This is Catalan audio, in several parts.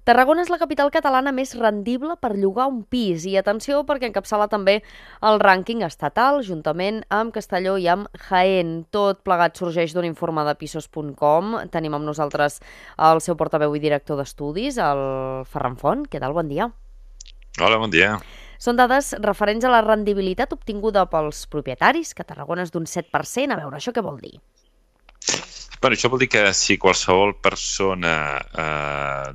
Tarragona és la capital catalana més rendible per llogar un pis i atenció perquè encapçala també el rànquing estatal juntament amb Castelló i amb Jaén. Tot plegat sorgeix d'un informe de pisos.com. Tenim amb nosaltres el seu portaveu i director d'estudis, el Ferran Font. Què tal? Bon dia. Hola, bon dia. Són dades referents a la rendibilitat obtinguda pels propietaris, que a Tarragona és d'un 7%. A veure, això què vol dir? Bueno, això vol dir que si qualsevol persona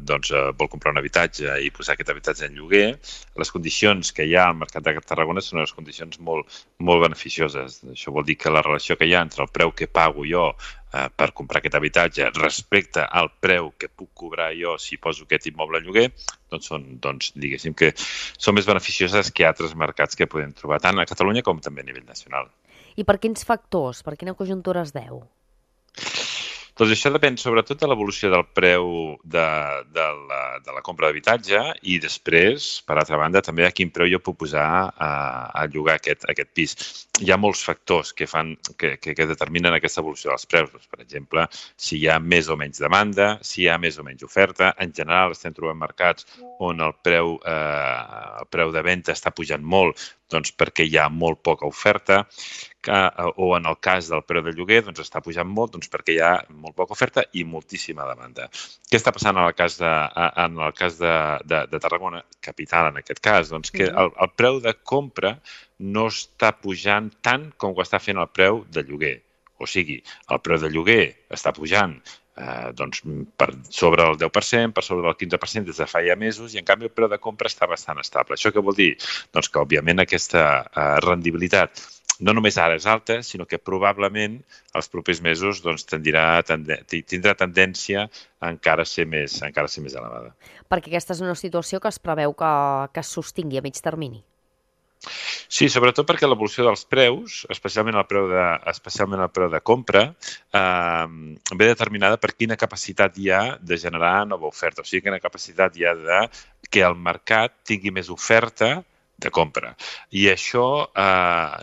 vol comprar un habitatge i posar aquest habitatge en lloguer, les condicions que hi ha al mercat de Tarragona són unes condicions molt beneficioses. Això vol dir que la relació que hi ha entre el preu que pago jo per comprar aquest habitatge respecte al preu que puc cobrar jo si poso aquest immoble en lloguer, diguéssim que són més beneficioses que altres mercats que podem trobar tant a Catalunya com també a nivell nacional. I per quins factors? Per quina conjuntura es deu? Doncs això depèn sobretot de l'evolució del preu de la compra d'habitatge i després, per altra banda, també a quin preu jo puc posar a llogar aquest pis. Hi ha molts factors que determinen aquesta evolució dels preus. Doncs, per exemple, si hi ha més o menys demanda, si hi ha més o menys oferta. En general estem trobant mercats on el preu de venda està pujant molt doncs perquè hi ha molt poca oferta, o en el cas del preu de lloguer doncs està pujant molt perquè hi ha molt poca oferta i moltíssima demanda. Què està passant en el cas de Tarragona, capital en aquest cas? Doncs que el preu de compra no està pujant tant com ho està fent el preu de lloguer. O sigui, el preu de lloguer està pujant per sobre el 10%, per sobre del 15% des de fa ja mesos i en canvi el preu de compra està bastant estable. Això què vol dir? Doncs que òbviament aquesta rendibilitat no només ara és alta, sinó que probablement els propers mesos tindrà tendència a encara ser més elevada. Perquè aquesta és una situació que es preveu que es sostingui a mig termini. Sí, sobretot perquè l'evolució dels preus, especialment el preu de compra, ve determinada per quina capacitat hi ha de generar nova oferta. O sigui, quina capacitat hi ha de que el mercat tingui més oferta de compra. I això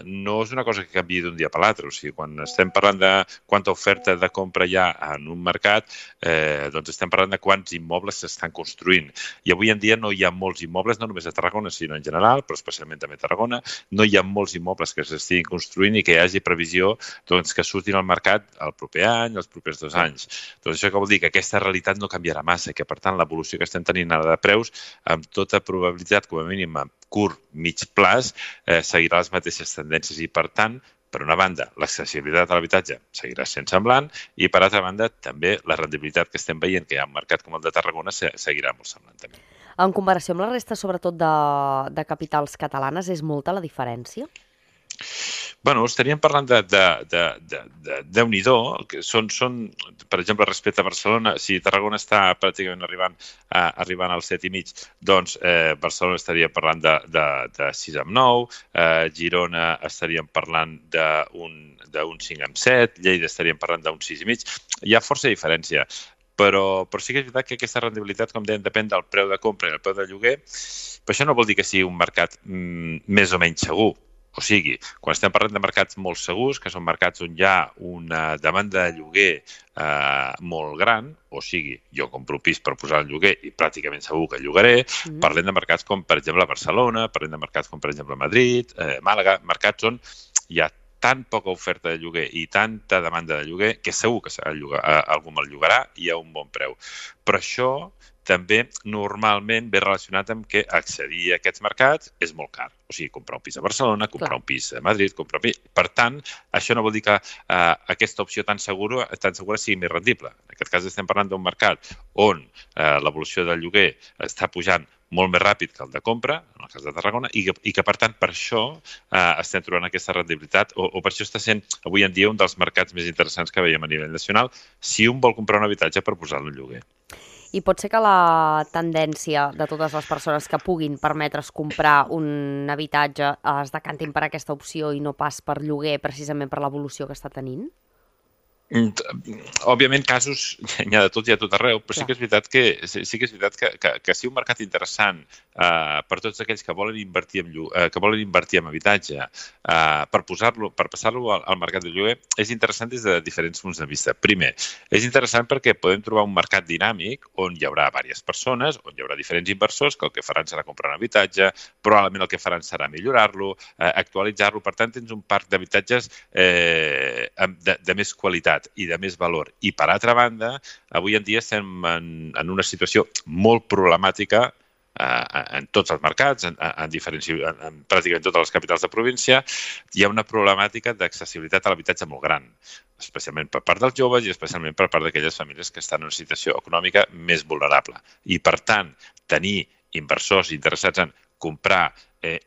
no és una cosa que canviï d'un dia per l'altre. O sigui, quan estem parlant de quanta oferta de compra hi ha en un mercat, doncs estem parlant de quants immobles s'estan construint. I avui en dia no hi ha molts immobles, no només a Tarragona, sinó en general, però especialment també a Tarragona, no hi ha molts immobles que s'estiguin construint i que hi hagi previsió que surtin al mercat el proper any, els propers 2 anys. Doncs això que vol dir que aquesta realitat no canviarà massa, que per tant l'evolució que estem tenint ara de preus, amb tota probabilitat, com a mínim a curt, mig plaç, seguirà les mateixes tendències i, per tant, per una banda, l'accessibilitat a l'habitatge seguirà sent semblant i, per altra banda, també la rendibilitat que estem veient que hi ha un mercat com el de Tarragona seguirà molt semblant també. En comparació amb la resta, sobretot de capitals catalanes, és molta la diferència? Bueno, estaríem parlant de Déu-n'hi-do, que són, per exemple, respecte a Barcelona, si Tarragona està pràcticament arribant al 7,5, doncs Barcelona estaria parlant de 6,9, Girona estaríem parlant d'un 5,7, Lleida estaríem parlant d'un 6,5. Hi ha força diferència, però sí que és veritat que aquesta rendibilitat, com dèiem, depèn del preu de compra i el preu de lloguer, però això no vol dir que sigui un mercat més o menys segur. O sigui, quan estem parlant de mercats molt segurs, que són mercats on hi ha una demanda de lloguer molt gran, o sigui, jo compro un pis per posar en lloguer i pràcticament segur que llogaré, parlem de mercats com, per exemple, Barcelona, parlem de mercats com, per exemple, Madrid, Màlaga, mercats on hi ha tan poca oferta de lloguer i tanta demanda de lloguer que segur que algú me'l llogarà i a un bon preu. Però això també normalment ve relacionat amb que accedir a aquests mercats és molt car. O sigui, comprar un pis a Barcelona, comprar un pis a Madrid, comprar un pis... Per tant, això no vol dir que aquesta opció tan segura sigui més rendible. En aquest cas estem parlant d'un mercat on l'evolució del lloguer està pujant molt més ràpid que el de compra, en el cas de Tarragona, i que, per tant, per això estem trobant aquesta rendibilitat, o per això està sent avui en dia un dels mercats més interessants que veiem a nivell nacional, si un vol comprar un habitatge per posar-lo en lloguer. I pot ser que la tendència de totes les persones que puguin permetre's comprar un habitatge es decantin per aquesta opció i no pas per lloguer, precisament per l'evolució que està tenint? Òbviament, casos n'hi ha de tot i a tot arreu, però sí Clar. que és veritat que sí un mercat interessant per tots aquells que volen invertir en habitatge, per passar-lo al mercat de lloguer, és interessant des de diferents punts de vista. Primer, és interessant perquè podem trobar un mercat dinàmic on hi haurà diverses persones, on hi haurà diferents inversors que el que faran serà comprar un habitatge, probablement el que faran serà millorar-lo, actualitzar-lo. Per tant, tens un parc d'habitatges de més qualitat i de més valor. I, per altra banda, avui en dia estem en una situació molt problemàtica en tots els mercats, en pràcticament totes les capitals de província. Hi ha una problemàtica d'accessibilitat a l'habitatge molt gran, especialment per part dels joves i especialment per part d'aquelles famílies que estan en una situació econòmica més vulnerable. I, per tant, tenir inversors interessats en comprar,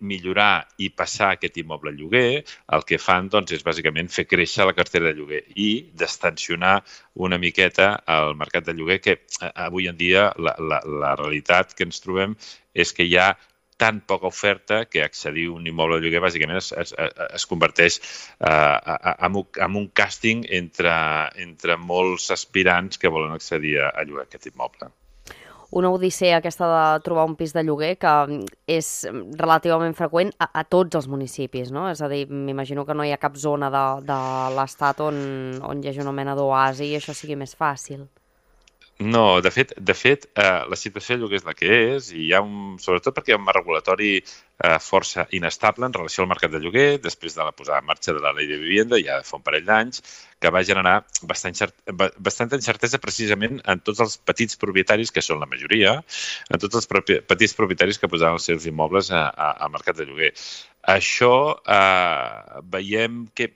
millorar i passar aquest immoble a lloguer, el que fan doncs, és bàsicament fer créixer la cartera de lloguer i destensionar una miqueta el mercat de lloguer, que avui en dia la realitat que ens trobem és que hi ha tan poca oferta que accedir a un immoble de lloguer bàsicament es converteix en un càsting entre molts aspirants que volen accedir a llogar aquest immoble. Una odissea aquesta de trobar un pis de lloguer que és relativament freqüent a tots els municipis, no? És a dir, m'imagino que no hi ha cap zona de l'estat on hi hagi una mena d'oasi i això sigui més fàcil. No, de fet, la situació de lloguer és la que és, i hi ha sobretot perquè hi ha un marc regulatori força inestable en relació al mercat de lloguer, després de la posada en marxa de la llei de vivenda, ja fa un parell d'anys, que va generar bastanta incertesa precisament en tots els petits propietaris, que són la majoria, en tots els petits propietaris que posaven els seus immobles al mercat de lloguer. Això veiem que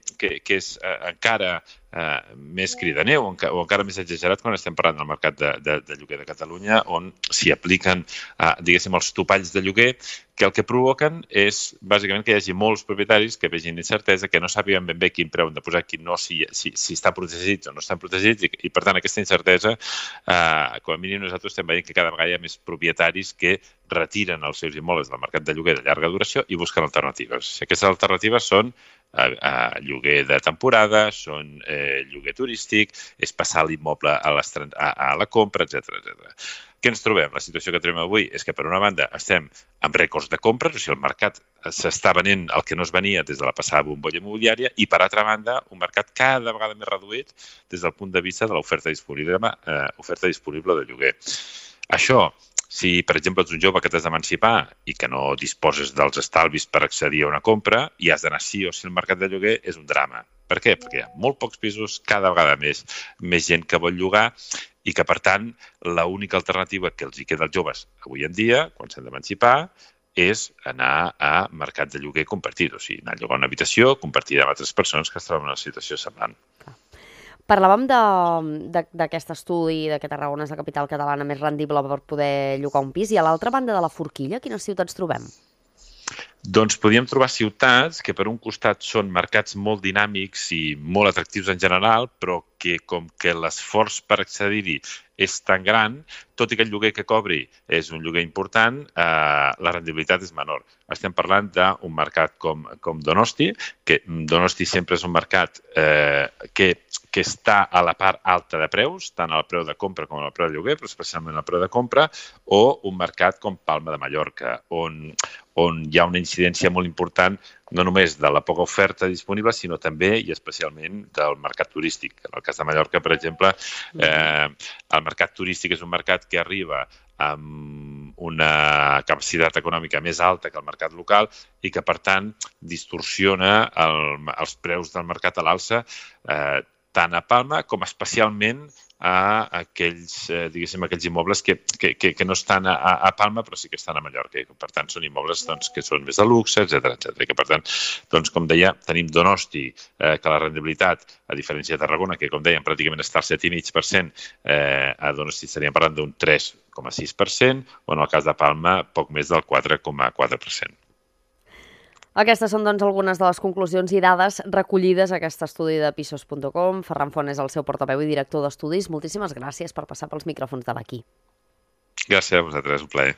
és encara més cridaner o encara més exagerat quan estem parlant del mercat de lloguer de Catalunya, on s'hi apliquen, diguéssim, els topalls de lloguer, que el que provoquen és, bàsicament, que hi hagi molts propietaris que vegin incertesa, que no sàpiguen ben bé quin preu han de posar, quin no, si estan protegits o no estan protegits, i per tant aquesta incertesa, com a mínim nosaltres estem veient que cada vegada hi ha més propietaris que retiren els seus immobles del mercat de lloguer de llarga duració i busquen alternatives. Aquestes alternatives són lloguer de temporada, són lloguer turístic, és passar l'immoble a la compra, etc. Què ens trobem? La situació que trobem avui és que, per una banda, estem amb rècords de compres, o sigui, el mercat s'està venent el que no es venia des de la passada bombolla immobiliària, i, per altra banda, un mercat cada vegada més reduït des del punt de vista de l'oferta disponible de lloguer. Això, si, per exemple, ets un jove que t'has d'emancipar i que no disposes dels estalvis per accedir a una compra i has d'anar sí o sí al mercat de lloguer, és un drama. Per què? Perquè hi ha molt pocs pisos, cada vegada més gent que vol llogar, i que, per tant, l'única alternativa que els hi queda als joves avui en dia, quan s'han d'emancipar, és anar a mercat de lloguer compartit, o sigui, anar a llogar una habitació compartida amb altres persones que es troben en una situació semblant. Parlàvem d'aquest estudi que Tarragona és la capital catalana més rendible per poder llogar un pis, i a l'altra banda de la forquilla, quines ciutats trobem? Doncs podríem trobar ciutats que per un costat són mercats molt dinàmics i molt atractius en general, però que com que l'esforç per accedir-hi és tan gran, tot i que el lloguer que cobri és un lloguer important, la rendibilitat és menor. Estem parlant d'un mercat com Donosti, que Donosti sempre és un mercat que està a la part alta de preus, tant al preu de compra com al preu de lloguer, però especialment al preu de compra, o un mercat com Palma de Mallorca, on hi ha una incidència molt important no només de la poca oferta disponible, sinó també i especialment del mercat turístic. En el cas de Mallorca, per exemple, el mercat turístic és un mercat que arriba amb una capacitat econòmica més alta que el mercat local i que, per tant, distorsiona els preus del mercat a l'alça tant a Palma com especialment a aquells immobles que no estan a Palma però sí que estan a Mallorca. I, per tant, són immobles que són més de luxe, etc. I que, per tant, com deia, tenim Donosti, que la rendibilitat, a diferència de Tarragona, que, com dèiem, pràcticament està al 7,5%, a Donosti estaríem parlant d'un 3,6%, o en el cas de Palma, poc més del 4,4%. Aquestes són, doncs, algunes de les conclusions i dades recollides a aquest estudi de Pisos.com. Ferran Font és el seu portaveu i director d'estudis. Moltíssimes gràcies per passar pels micròfons de l'Aquí. Gràcies a vosaltres, un plaer.